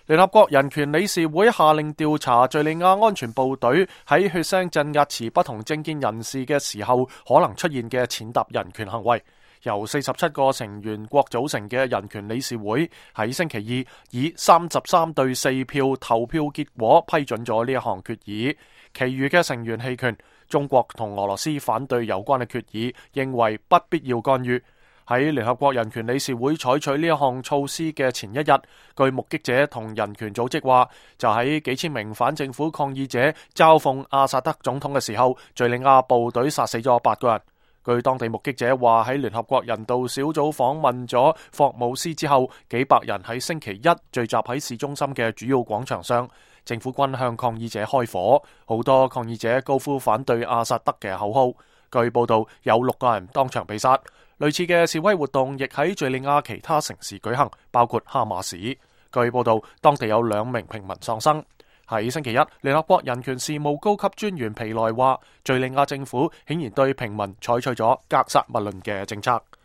聯合國人權理事會下令調查敘利亞安全部隊喺血腥鎮壓持不同政見人士嘅時候可能出現嘅踐踏人權行為。由47個成員國組成嘅人權理事會喺星期二以33對4票投票結果批准咗呢一項決議，其餘嘅成員棄權。中國同俄羅斯反對有關嘅決議，認為不必要干預。喺聯合國人權理事會採取呢一項措施嘅前一日，據目擊者同人權組織話，就喺幾千名反政府抗議者嘲諷阿薩德總統嘅時候，敘利亞部隊殺死咗8個人。據當地目擊者話，喺聯合國人道小組訪問咗霍姆斯之後，幾百人喺星期一聚集喺市中心嘅主要廣場上，政府軍向抗議者開火，好多抗議者高呼反對阿薩德嘅口號。據報道，有6個人當場被殺。類似嘅示威活動亦喺敘利亞其他城市舉行，包括哈馬斯。據報道，當地有2名平民喪生。喺星期一，聯合國人權事務高級專員皮萊話，敘利亞政府顯然對平民採取咗格殺勿論嘅政策。